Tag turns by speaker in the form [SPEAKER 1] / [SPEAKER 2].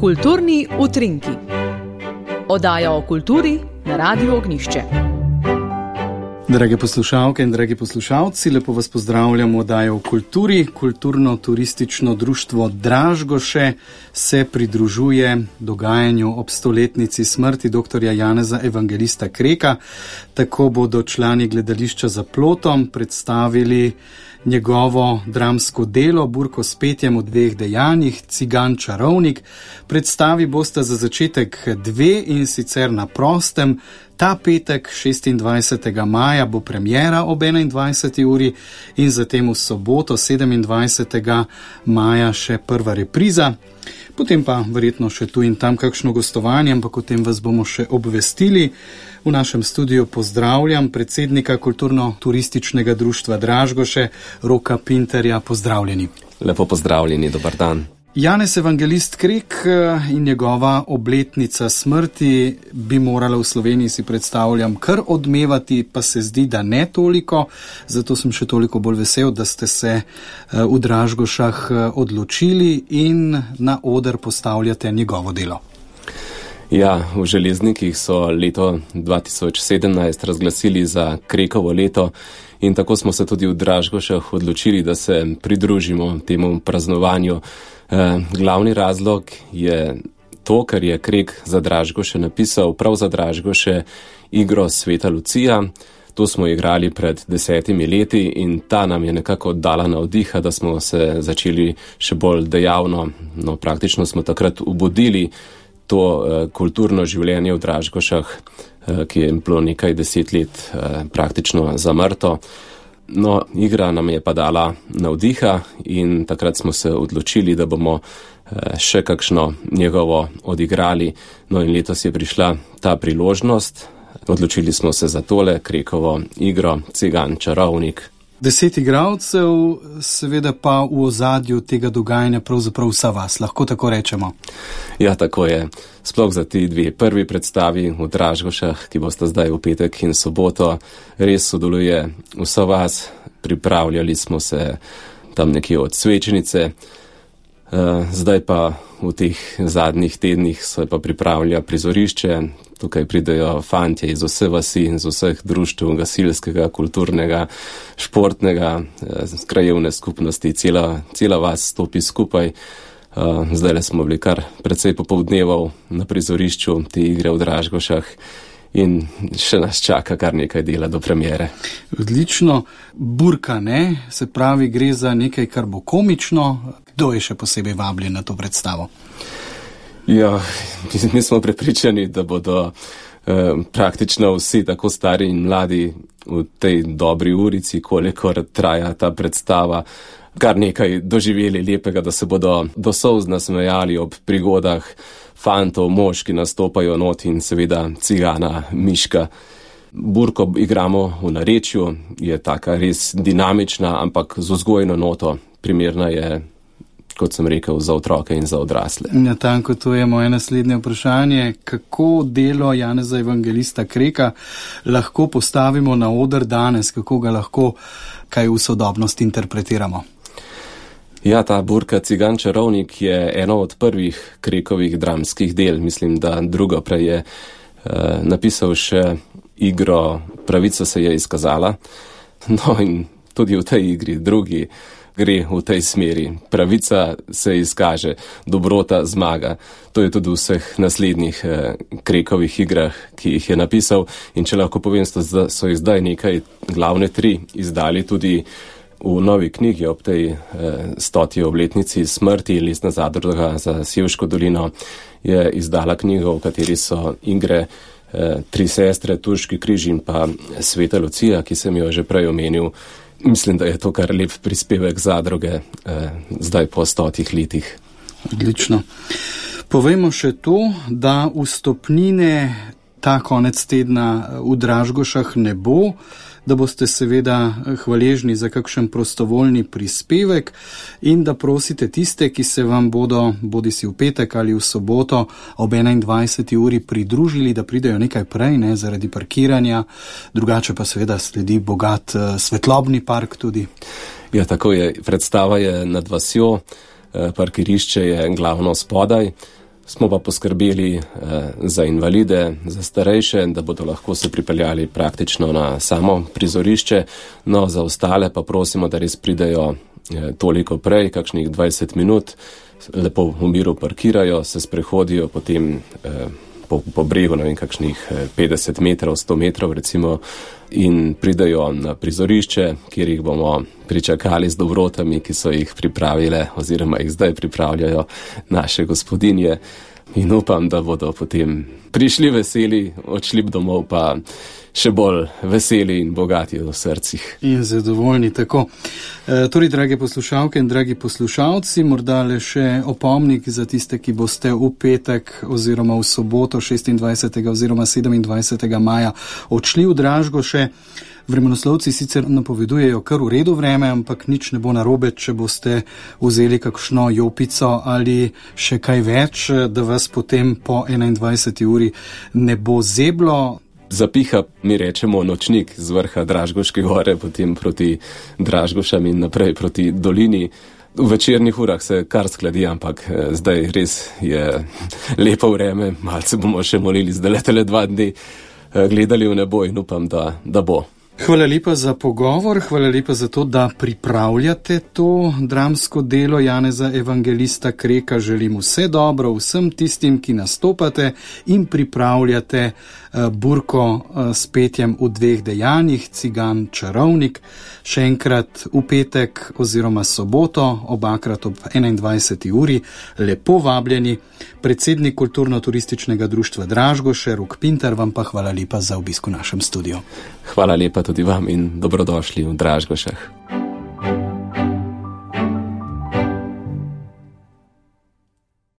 [SPEAKER 1] Kulturni utrinki. Oddaja o kulturi na Radiu Ognjišče.
[SPEAKER 2] Drage poslušalke in dragi poslušalci, lepo vas pozdravljam v oddaji o kulturi. Kulturno-turistično društvo Dražgoše se pridružuje dogajanju ob 100-letnici smrti dr. Janeza Evangelista Kreka. Tako bodo člani gledališča Za plotom predstavili njegovo dramsko delo Burko s petjem v dveh dejanjih, Cigan čarovnik. Predstavi bosta za začetek dve, in sicer na prostem. Ta petek, 26. maja, bo premiera ob 21. uri in zatem v soboto, 27. maja, še prva repriza. Potem pa verjetno še tu in tam kakšno gostovanje, ampak o tem vas bomo še obvestili. V našem studiu pozdravljam predsednika Kulturno-turističnega društva Dražgoše, Roka Pinterja. Pozdravljeni.
[SPEAKER 3] Lepo pozdravljeni, dober dan.
[SPEAKER 2] Janez Evangelist Krek in njegova obletnica smrti bi morala v Sloveniji, si predstavljam, kar odmevati, pa se zdi, da ne toliko. Zato sem še toliko bolj vesel, da ste se v Dražgošah odločili in na oder postavljate njegovo delo.
[SPEAKER 3] Ja, v Železnikih so leto 2017 razglasili za Krekovo leto in tako smo se tudi v Dražgošah odločili, da se pridružimo temu praznovanju. Glavni razlog je to, ker je Krek za Dražgoše napisal prav za Dražgoše igro Sveta Lucija. To smo igrali pred 10 leti in ta nam je nekako dala navdiha, da smo se začeli še bolj dejavno. No, praktično smo takrat obudili to kulturno življenje v Dražgošah, ki je bilo nekaj 10 let praktično zamrto. No, igra nam je pa dala navdiha in takrat smo se odločili, da bomo še kakšno njegovo odigrali. No in letos je prišla ta priložnost. Odločili smo se za tole Krekovo igro Cigan čarovnik.
[SPEAKER 2] 10 igralcev, seveda pa v ozadju tega dogajanja pravzaprav vsa vas, lahko tako rečemo.
[SPEAKER 3] Ja, tako je. Sploh za ti dve prvi predstavi v Dražgošah, ki bosta zdaj v petek in soboto, res sodeluje vsa vas. Pripravljali smo se tam nekje od svečnice, zdaj pa v teh zadnjih tednih se pa pripravlja prizorišče. Tukaj pridejo fantje iz vse vasi, iz vseh društev, gasilskega, kulturnega, športnega, krajevne skupnosti, cela vas stopi skupaj. Zdaj smo bili kar precej popoldneval na prizorišču te igre v Dražgošah in še nas čaka kar nekaj dela do premiere.
[SPEAKER 2] Odlično. Burka, ne? Se pravi, gre za nekaj, kar bo komično. Kdo je še posebej vabljen na to predstavo?
[SPEAKER 3] Ja, mi smo prepričani, da bodo praktično vsi, tako stari in mladi, v tej dobri urici, kolikor traja ta predstava, kar nekaj doživeli lepega, da se bodo do solz nasmejali ob prigodah fantov, mož, ki nastopajo not, in seveda cigana Miška. Burko igramo v narečju, je taka res dinamična, ampak z vzgojno noto. Primerna je, kot sem rekel, za otroke in za odrasle.
[SPEAKER 2] Ja, tanko, to je moje naslednje vprašanje. Kako delo Janeza Evangelista Kreka lahko postavimo na oder danes? Kako ga lahko kaj v sodobnosti interpretiramo?
[SPEAKER 3] Ja, ta Burka Cigan čarovnik je eno od prvih Krekovih dramskih del. Mislim, da drugo prej je napisal še igro Pravica se je izkazala. No in tudi v tej igri drugi gre v tej smeri. Pravica se izkaže, dobrota zmaga. To je tudi v vseh naslednjih Krekovih igrah, ki jih je napisal. In če lahko povem, so jih zdaj nekaj glavne 3 izdali tudi v novi knjigi ob tej 100. obletnici smrti. Lesna zadruga za Sevško dolino je izdala knjigo, v kateri so igre 3 sestre, Turški križ in pa Sveta Lucija, ki sem jo že prej omenil. Mislim, da je to kar lep prispevek zadruge zdaj po 100 letih.
[SPEAKER 2] Odlično. Povejmo še to, da vstopnine ta konec tedna v Dražgošah ne bo, da boste seveda hvaležni za kakšen prostovoljni prispevek in da prosite tiste, ki se vam bodo bodisi v petek ali v soboto ob 21. uri pridružili, da pridejo nekaj prej, ne, zaradi parkiranja, drugače pa seveda sledi bogat svetlobni park tudi.
[SPEAKER 3] Ja, tako je. Predstava je nad vasjo, parkirišče je glavno spodaj. Smo pa poskrbeli za invalide, za starejše, da bodo lahko se pripeljali praktično na samo prizorišče. No, za ostale pa prosimo, da res pridejo toliko prej, kakšnih 20 minut, lepo v miru parkirajo, se sprehodijo potem po bregu, ne vem, kakšnih 50 metrov, 100 metrov recimo, in pridejo na prizorišče, kjer jih bomo pričakali z dobrotami, ki so jih pripravile oziroma jih zdaj pripravljajo naše gospodinje. In upam, da bodo potem prišli veseli, odšli domov pa še bolj veseli in bogati v srcih.
[SPEAKER 2] In zadovoljni tako. Torej, drage poslušalke in dragi poslušalci, morda le še opomnik za tiste, ki boste v petek oziroma v soboto 26. oziroma 27. maja odšli v Dražgoše. Vremenoslovci sicer napovedujejo kar v redu vreme, ampak nič ne bo narobe, če boste vzeli kakšno jopico ali še kaj več, da vas potem po 21. uri ne bo zeblo.
[SPEAKER 3] Zapiha, mi rečemo, nočnik z vrha Dražgoške gore, potem proti Dražgošam in naprej proti dolini. V večernih urah se kar skladi, ampak zdaj res je lepo vreme, malce bomo še molili, zdaj letele 2 dni gledali v nebo in upam, da bo.
[SPEAKER 2] Hvala lepa za pogovor, hvala lepa za to, da pripravljate to dramsko delo Janeza Evangelista Kreka. Želim vse dobro vsem tistim, ki nastopate in pripravljate burko s petjem v 2 dejanjih, Cigan čarovnik. Še enkrat v petek oziroma soboto, obakrat ob 21. uri, lepo vabljeni. Predsednik Kulturno-turističnega društva Dražgoše, Rok Pintar, vam pa hvala lepa za obisk v našem studiu.
[SPEAKER 3] Hvala lepa tudi vam in dobrodošli v Dražgošah.